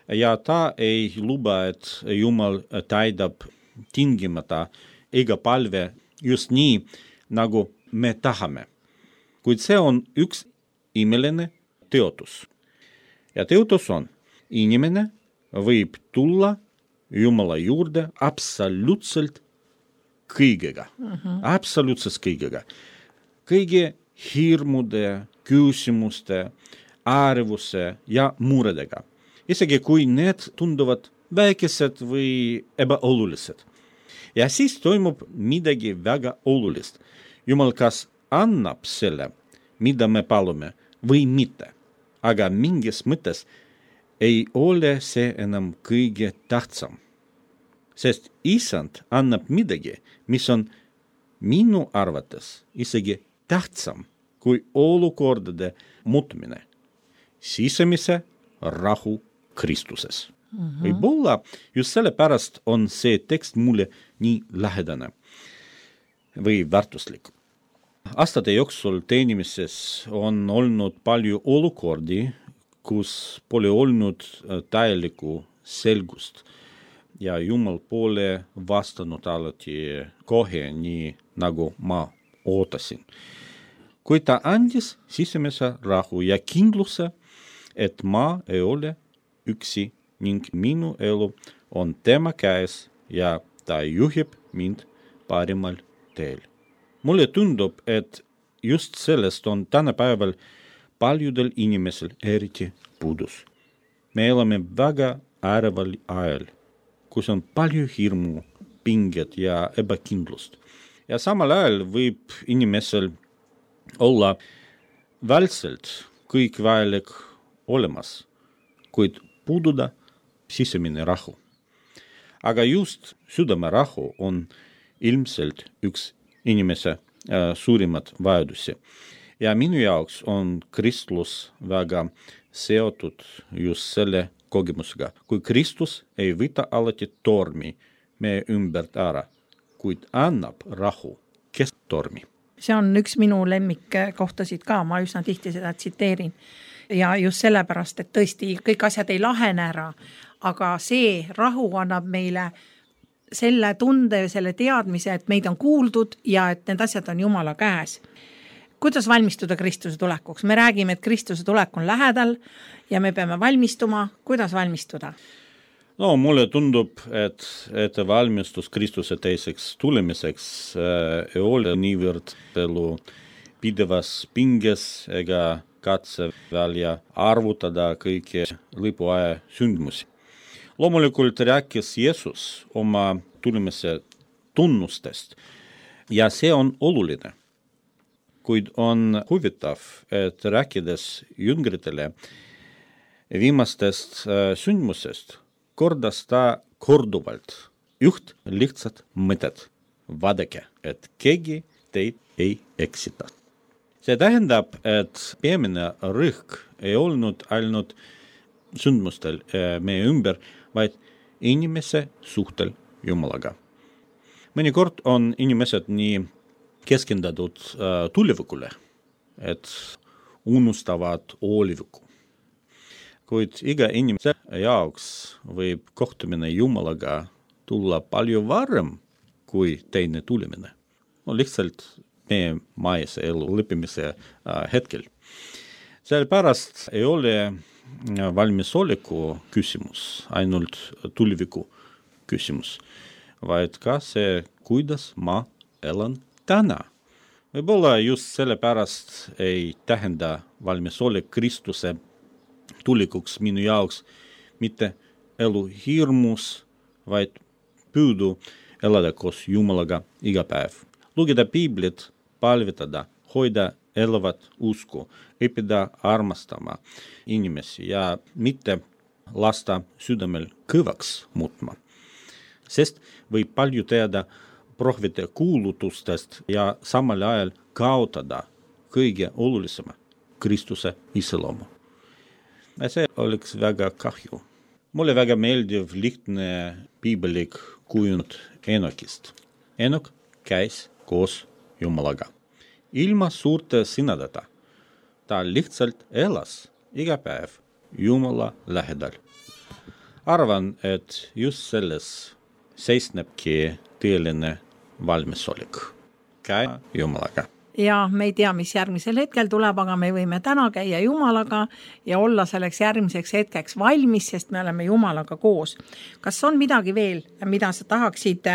Ja ta ei luba, et Jumal täidab tingimata iga palve just nii, nagu me tahame. Kuid see on üks imeline teotus. Ja teotus on, inimene võib tulla Jumala juurde absoluutselt kõigega. Absoluutselt kõigega. Kõigi hirmude, küsimuste, ärevuse ja muredega. Isegi kui need tunduvad väikesed või ebaolulised. Ja siis toimub midagi väga olulist. Jumal kas annab selle, mida me palume, või mitte. Aga mingis mõttes ei ole see enam kõige tähtsam. Sest Isand annab midagi, mis on minu arvates isegi tähtsam kui olukordade muutmine. Sisemise rahu Kristuses. Võib-olla just sellepärast on see tekst mulle nii lähedane või väärtuslik. Aastate jooksul teenimises on olnud palju olukordi, kus pole olnud täielikku selgust ja Jumal pole vastanud alati kohe nii, nagu ma ootasin. Kui ta andis sisemise rahu ja kindluse, et ma ei ole üksi ning minu elu on tema käes ja ta juhib mind parimal teel. Mulle tundub, et just sellest on tänapäeval paljudel inimesel eriti puudus. Me elame väga äreval ajal, kus on palju hirmu, pinget ja ebakindlust. Ja samal ajal võib inimesel olla vältselt kõik vajalik olemas, kuid puududa sisemine rahu. Aga just südamerahu on ilmselt üks inimese suurimat vajadusi. Ja minu jaoks on kristlus väga seotud just selle kogemusega. Kui Kristus ei võta alati tormi meie ümbert ära, kuid annab rahu kesktormi. See on üks minu lemmikkohtasid ka, ma üsna tihti seda tsiteerin. Ja just sellepärast, et tõesti kõik asjad ei lahene ära, aga see rahu annab meile selle tunde ja selle teadmise, et meid on kuuldud ja et need asjad on Jumala käes. Kuidas valmistuda Kristuse tulekuks? Me räägime, et Kristuse tulek on lähedal ja me peame valmistuma. Kuidas valmistuda? No, mulle tundub, et valmistus Kristuse teiseks tulemiseks ei ole niivõrd elu pidevas pinges ega katse välja arvutada kõiki lõpuaja sündmusi. Loomulikult rääkis Jeesus oma tulemise tunnustest ja see on oluline. Kuid on huvitav, et rääkides jüngritele viimastest sündmusest, kordas ta korduvalt üht lihtsat mõtet. Vaadake, et keegi teid ei eksita. See tähendab, et peamine rõhk ei olnud ainult sündmustel meie ümber, vaid inimese suhtel Jumalaga. Mõnikord on inimesed nii keskendatud tulevikule, et unustavad oleviku. Kuid iga inimese jaoks võib kohtumine Jumalaga tulla palju varem kui teine tulemine. No lihtsalt meie maise elu lõppimise hetkel. Sellepärast ei ole valmisoleku küsimus ainult tuleviku küsimus, vaid ka see, kuidas ma elan täna. Võib-olla just sellepärast ei tähenda valmisolek Kristuse tulikuks minu jaoks mitte elu hirmus, vaid püüdu elada koos Jumalaga iga päev. Lugeda Piiblit, palvetada, hoida elavat usku, õppida armastama inimesi ja mitte lasta südamel kõvaks muutma. Sest võib palju teada prohvete kuulutustest ja samal ajal kaotada kõige olulisema Kristuse iseloomu. Ja see oleks väga kahju. Mulle väga meeldiv lihtne piiblik kujund Enokist. Enok käis koos Jumalaga. Ilma suurte sõnadeta. Ta lihtsalt elas iga päev Jumala lähedal. Arvan, et just selles seisnebki tõeline valmisolek. Käia Jumalaga. Ja me ei tea, mis järgmisel hetkel tuleb, aga me võime täna käia Jumalaga ja olla selleks järgmiseks hetkeks valmis, sest me oleme Jumalaga koos. Kas on midagi veel, mida sa tahaksid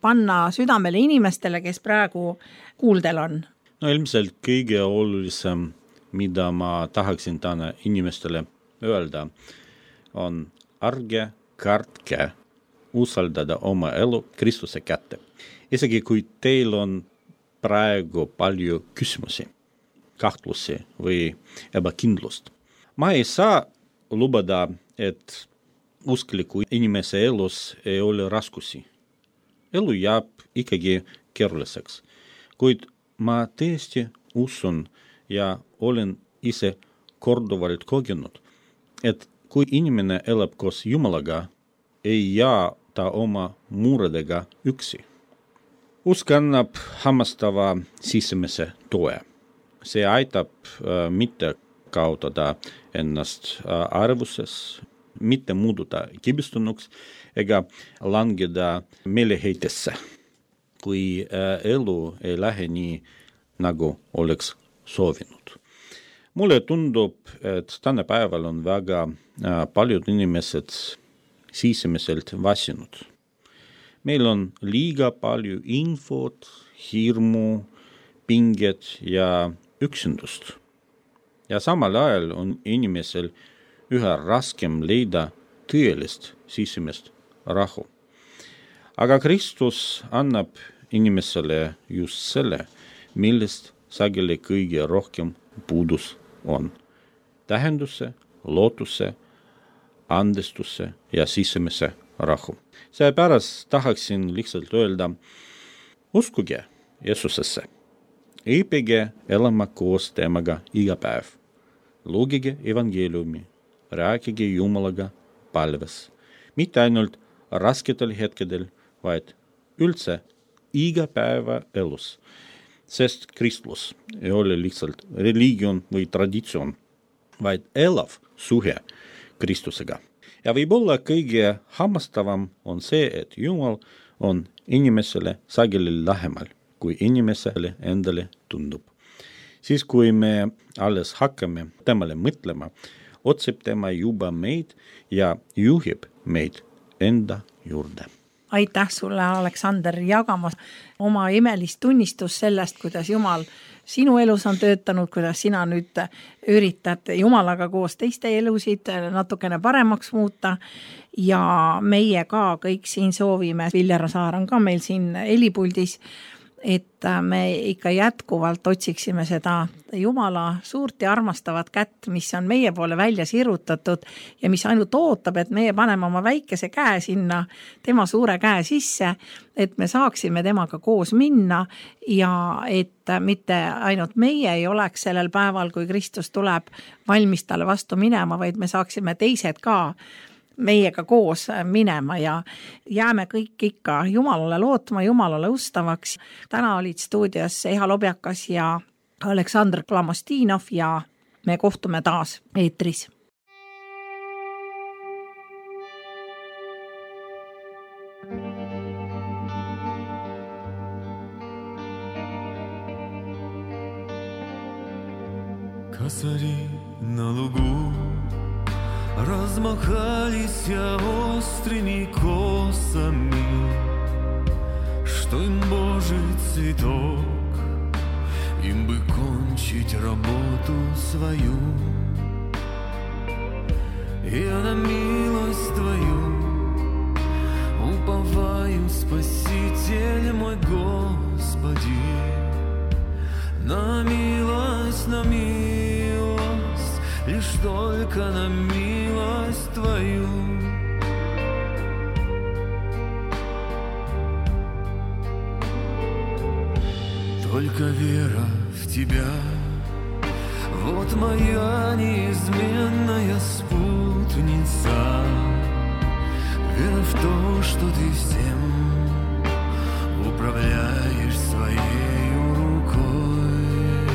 panna südamele inimestele, kes praegu kuuldel on? No ilmselt kõige olulisem, mida ma tahaksin täna inimestele öelda, on ärge kartke usaldada oma elu Kristuse kätte. Isegi kui teil on praegu palju küsimusi, kahtlusi või ebakindlust. Ma ei saa lubada, et uskliku inimese elus ei ole raskusi. Elu jääb ikkagi keeruliseks, kuid ma tõesti usun ja olen ise korduvalt kogenud, et kui inimene elab koos Jumalaga, ei jää ta oma muredega üksi. Usk annab hammastava sisemise toe. See aitab mitte kaotada ennast arvuses, mitte muududa kibestunuks ega langeda meeleheitesse, kui elu ei lähe nii, nagu oleks soovinud. Mulle tundub, et tänapäeval on väga paljud inimesed sisemiselt vasinud. Meil on liiga palju infot, hirmu, pinget ja üksindust. Ja samal ajal on inimesel üha raskem leida tõelist sisemist rahu. Aga Kristus annab inimesele just selle, millest sageli kõige rohkem puudus on. Tähenduse, lootuse, andestuse ja sisemise rahu. Seepärast tahaksin lihtsalt öelda, uskuge Jeesusesse, õppige elama koos temaga iga päev, lugege evangeeliumi, rääkige Jumalaga palves, mitte ainult rasketel hetkedel, vaid üldse iga päeva elus, sest kristlus ei ole lihtsalt religion või traditsioon, vaid elav suhe Kristusega. Ja võib-olla kõige hammastavam on see, et Jumal on inimesele sageli lähemal, kui inimesele endale tundub. Siis kui me alles hakkame temale mõtlema, otsib tema juba meid ja juhib meid enda juurde. Aitäh sulle, Aleksander, jagamas oma imelist tunnistust sellest, kuidas Jumal sinu elus on töötanud, kuidas sina nüüd üritad Jumalaga koos teiste elusid natukene paremaks muuta ja meie ka kõik siin soovime, Viljar Saar on ka meil siin helipuldis, et me ikka jätkuvalt otsiksime seda Jumala suurt ja armastavat kätt, mis on meie poole välja sirutatud ja mis ainult ootab, et meie paneme oma väikese käe sinna tema suure käe sisse, et me saaksime temaga koos minna ja et mitte ainult meie ei oleks sellel päeval, kui Kristus tuleb valmis talle vastu minema, vaid me saaksime teised ka meiega koos minema ja jääme kõik ikka Jumalale lootma, Jumalale ustavaks. Täna olid stuudios Eha Lobjakas ja Aleksandr Klamostinov ja me kohtume taas eetris. Косари на лугу размахались острыми косами, что им Божий цветок им бы кончить работу свою. Я на милость Твою уповаю, Спаситель мой, Господи, на милость, лишь только на милость Твою. Только вера в Тебя, вот моя неизменная спутница. Вера в то, что Ты всем управляешь своей рукой.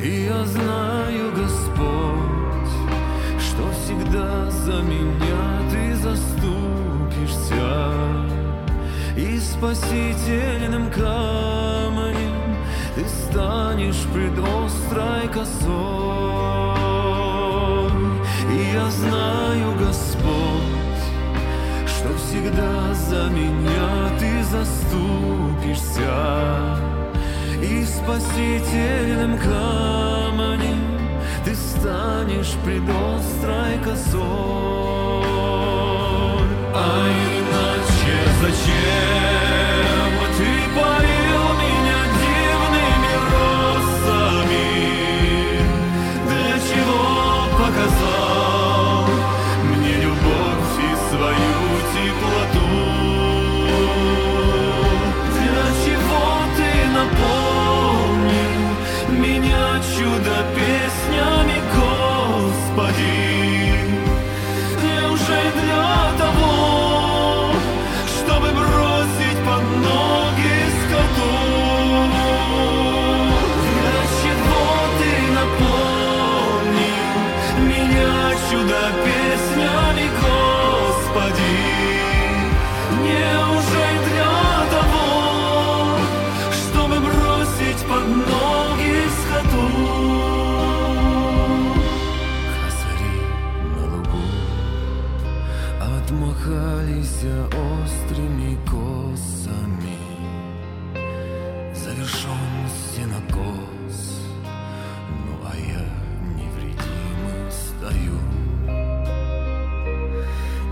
И я знаю, Господь, что всегда за меня Ты заступишься, и спасительным камнем Ты станешь пред острой косой. И я знаю, Господь, что всегда за меня Ты заступишься, и спасительным камнем Ты станешь пред острой косой. А иначе зачем Ты поил меня дивными росами? Для чего показал мне любовь и свою теплоту? Для чего Ты наполнил меня чудо-песнями, Господи? Неужели для того, чтобы бросить под ноги скоту? Для чего Ты наполнил меня чудо-песнями, Господи? Неужели для того, чтобы бросить под ноги скоту? Косари на лугу отмахались острыми косами, завершен сенокос, ну а я невредимый стою.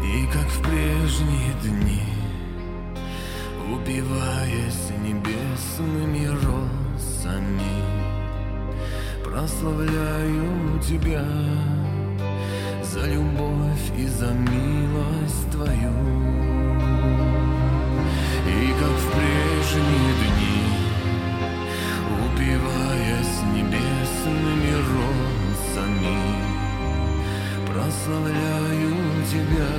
И как в прежние дни, упиваясь небесными росами, прославляю Тебя за любовь и за милость Твою. И как в прежние дни, упиваясь небесными росами, прославляю Тебя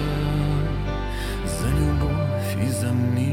за любовь и за милость